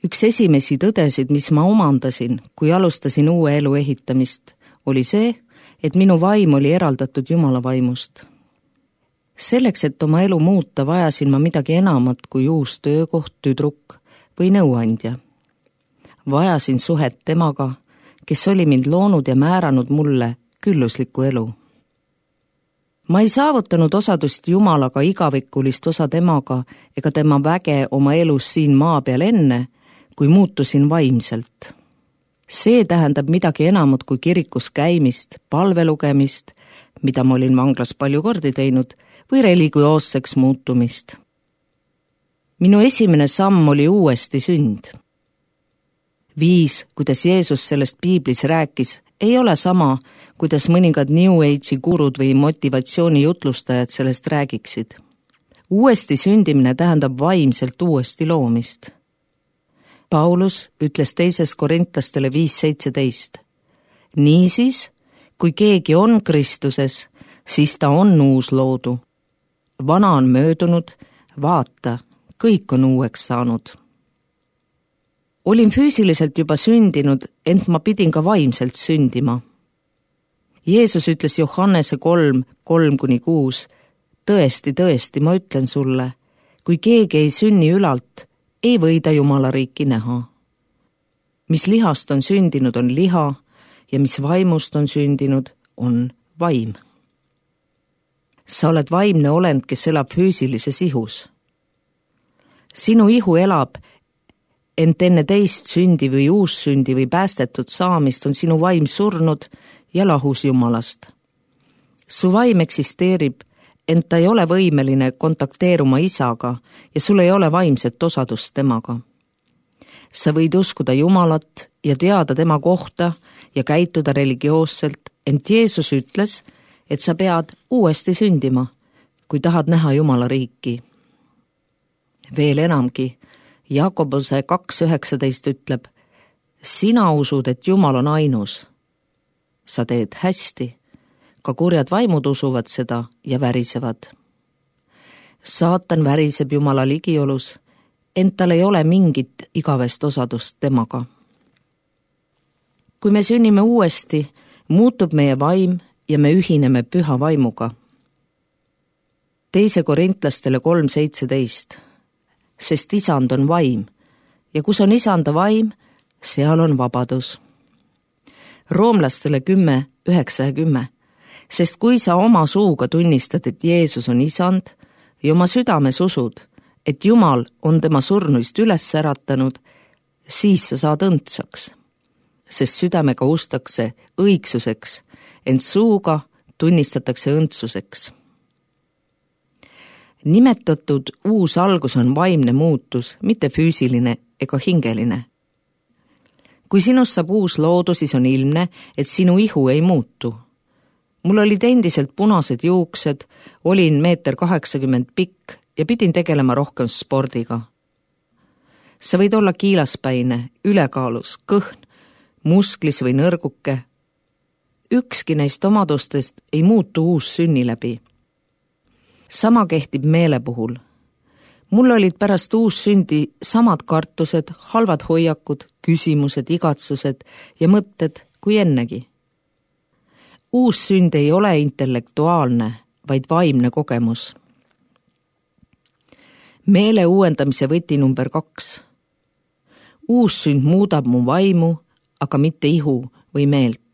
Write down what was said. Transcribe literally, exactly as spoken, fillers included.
Üks esimesi tõdesid, mis ma omandasin, kui alustasin uue elu ehitamist, oli see, et minu vaim oli eraldatud Jumala vaimust. Selleks, et oma elu muuta, vajasin ma midagi enamat kui uus töökoht, tüdruk või nõuandja. Vajasin suhet temaga, kes oli mind loonud ja määranud mulle külluslikku elu. Ma ei saavutanud osadust Jumalaga igavikulist osa temaga ega tema väge oma elus siin maa peal enne, kui muutusin vaimselt. See tähendab midagi enamat kui kirikus käimist, palvelugemist, mida ma olin vanglas palju kordi teinud, või religioosseks muutumist. Minu esimene samm oli uuesti sünd. Viis, kuidas Jeesus sellest Piiblis rääkis, ei ole sama, kuidas mõningad New Age'i gurud või motivatsiooni jutlustajad sellest räägiksid. Uuesti sündimine tähendab vaimselt uuesti loomist. Paulus ütles teises Korintlastele viis seitseteist. Niisiis, kui keegi on Kristuses, siis ta on uus loodu. Vana on möödunud, vaata, kõik on uueks saanud. Olin füüsiliselt juba sündinud, ent ma pidin ka vaimselt sündima. Jeesus ütles Johannese kolm, kolm kuni kuus, tõesti, tõesti, ma ütlen sulle, kui keegi ei sünni ülalt, ei või ta Jumala riiki näha. Mis lihast on sündinud, on liha, ja mis vaimust on sündinud, on vaim. Sa oled vaimne olend, kes elab füüsilises ihus. Sinu ihu elab, ent enne teist sündi või uussündi või päästetud saamist on sinu vaim surnud ja lahus Jumalast. Su vaim eksisteerib, ent ta ei ole võimeline kontakteeruma isaga ja sul ei ole vaimset osadust temaga. Sa võid uskuda Jumalat ja teada tema kohta ja käituda religioosselt, ent Jeesus ütles, et sa pead uuesti sündima, kui tahad näha Jumala riiki. Veel enamgi, Jakobuse kaks üheksateist ütleb, sina usud, et Jumal on ainus. Sa teed hästi, ka kurjad vaimud usuvad seda ja värisevad. Saatan väriseb Jumala ligiolus, ent tal ei ole mingit igavest osadust temaga. Kui me sünnime uuesti, muutub meie vaim ja me ühineme püha vaimuga. Teise Korintlastele kolm seitseteist. Sest isand on vaim ja kus on isanda vaim, seal on vabadus. Roomlastele kümme, üheksa ja kümme. Sest kui sa oma suuga tunnistad, et Jeesus on isand ja oma südames usud, et Jumal on tema surnuist üles äratanud, siis sa saad õndsaks. Sest südamega ustakse õigsuseks, ent suuga tunnistatakse õndsuseks. Nimetatud uus algus on vaimne muutus, mitte füüsiline ega hingeline. Kui sinust saab uus loodu, siis on ilmne, et sinu ihu ei muutu. Mul olid endiselt punased juuksed, olin meeter kaheksakümmend pikk ja pidin tegelema rohkem spordiga. Sa võid olla kiilaspäine, ülekaalus, kõhn, musklis või nõrguke. Ükski neist omadustest ei muutu uus sünni läbi. Sama kehtib meele puhul. Mul olid pärast uussündi samad kartused, halvad hoiakud, küsimused, igatsused ja mõtted kui ennegi. Uussünd ei ole intellektuaalne, vaid vaimne kogemus. Meele uuendamise võti number kaks. Uussünd muudab mu vaimu, aga mitte ihu või meelt.